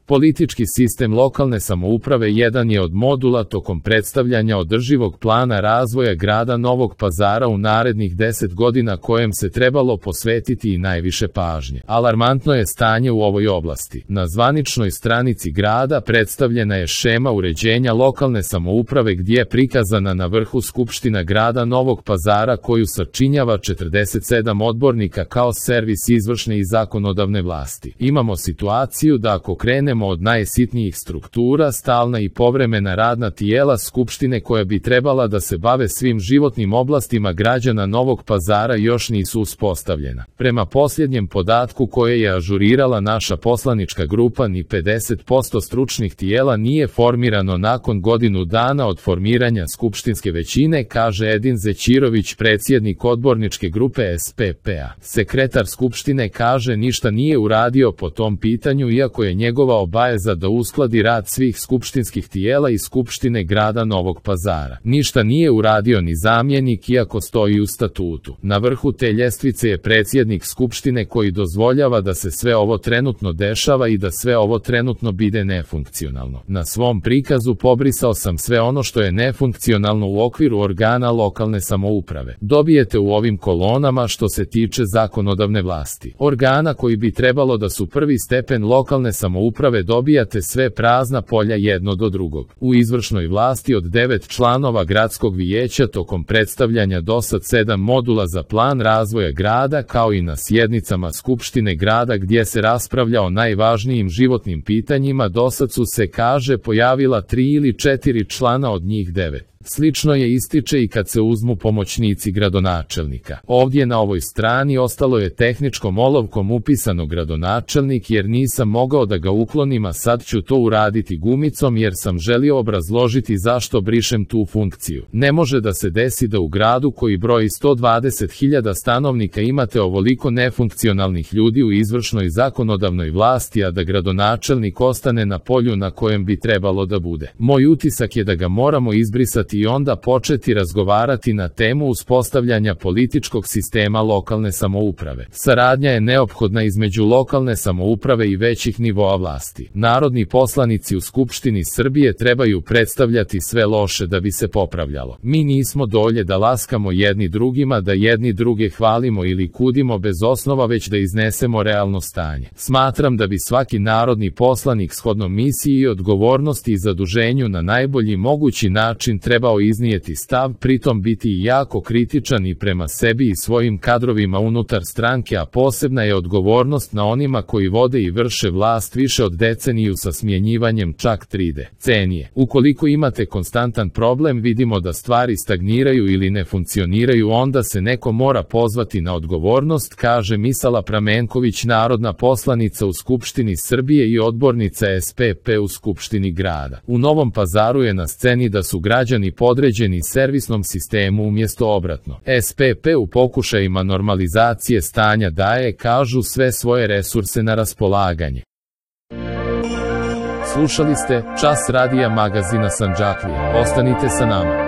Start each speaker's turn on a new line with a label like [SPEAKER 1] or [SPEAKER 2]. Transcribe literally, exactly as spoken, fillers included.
[SPEAKER 1] Politički sistem lokalne samouprave jedan je od modula tokom predstavljanja održivog plana razvoja grada Novog Pazara u narednih deset godina kojem se trebalo posvetiti i najviše pažnje. Alarmantno je stanje u ovoj oblasti. Na zvaničnoj stranici grada predstavljena je šema uređenja lokalne samouprave gdje je prikazana na vrhu Skupština grada Novog Pazara koju sačinjava četrdeset sedam odbornika kao servis izvršne i zakonodavne vlasti. Imamo situaciju da ako krenemo od najsitnijih struktura, stalna i povremena radna tijela Skupštine koja bi trebala da se bave svim životnim oblastima građana Novog Pazara još nisu uspostavljena. Prema posljednjem podatku koje je ažurirala naša poslanička grupa, ni pedeset posto stručnih tijela nije formirano nakon godinu dana od formiranja skupštinske većine, kaže Edin Zećirović, predsjednik odborničke grupe S P P-a. Sekretar Skupštine kaže ništa nije uradio po tom pitanju iako je njegova obaveza da uskladi rad svih skupštinskih tijela i Skupštine grada Novog Pazara. Ništa nije uradio ni zamjenik iako stoji u statutu. Na vrhu te ljestvice je predsjednik Skupštine koji dozvoljava da se sve ovo trenutno dešava i da sve ovo trenutno bide nefunkcionalno. Na svom prikazu pobrisao sam sve ono što je nefunkcionalno u okviru organa lokalne samouprave. Dobijete u ovim kolonama što se tiče zakonodavne vlasti. Organa koji bi trebalo da su prvi stepen lokalne samouprave dobijate sve prazna polja jedno do drugog. U izvršnoj vlasti od devet članova gradskog vijeća tokom predstavljanja dosad sedam modula za plan razvoja grada kao i na sjednicama Skupštine grada gdje se raspravlja o najvažnijim životnim pitanjima dosad su se, kaže, pojavila tri ili četiri člana od njih devet. Slično je ističe i kad se uzmu pomoćnici gradonačelnika. Ovdje na ovoj strani ostalo je tehničkom olovkom upisano gradonačelnik jer nisam mogao da ga uklonim, a sad ću to uraditi gumicom jer sam želio obrazložiti zašto brišem tu funkciju. Ne može da se desi da u gradu koji broji sto dvadeset hiljada stanovnika imate ovoliko nefunkcionalnih ljudi u izvršnoj zakonodavnoj vlasti, a da gradonačelnik ostane na polju na kojem bi trebalo da bude. Moj utisak je da ga moramo izbrisati i onda početi razgovarati na temu uspostavljanja političkog sistema lokalne samouprave. Saradnja je neophodna između lokalne samouprave i većih nivoa vlasti. Narodni poslanici u Skupštini Srbije trebaju predstavljati sve loše da bi se popravljalo. Mi nismo dolje da laskamo jedni drugima, da jedni druge hvalimo ili kudimo bez osnova, već da iznesemo realno stanje. Smatram da bi svaki narodni poslanik shodno misiji i odgovornosti i zaduženju na najbolji mogući način trebao iznijeti stav, pritom biti jako kritičan i prema sebi i svojim kadrovima unutar stranke, a posebna je odgovornost na onima koji vode i vrše vlast više od deceniju sa smjenjivanjem čak tri decenije. Ukoliko imate konstantan problem, vidimo da stvari stagniraju ili ne funkcioniraju, onda se neko mora pozvati na odgovornost, kaže Misala Pramenković, narodna poslanica u Skupštini Srbije i odbornica S P P u Skupštini grada. U Novom Pazaru je na sceni da su građani podređeni servisnom sistemu umjesto obratno. S P P u pokušajima normalizacije stanja daje, kažu, sve svoje resurse na raspolaganje. Slušali ste Čas radija magazina Sandžaklija. Ostanite sa nama.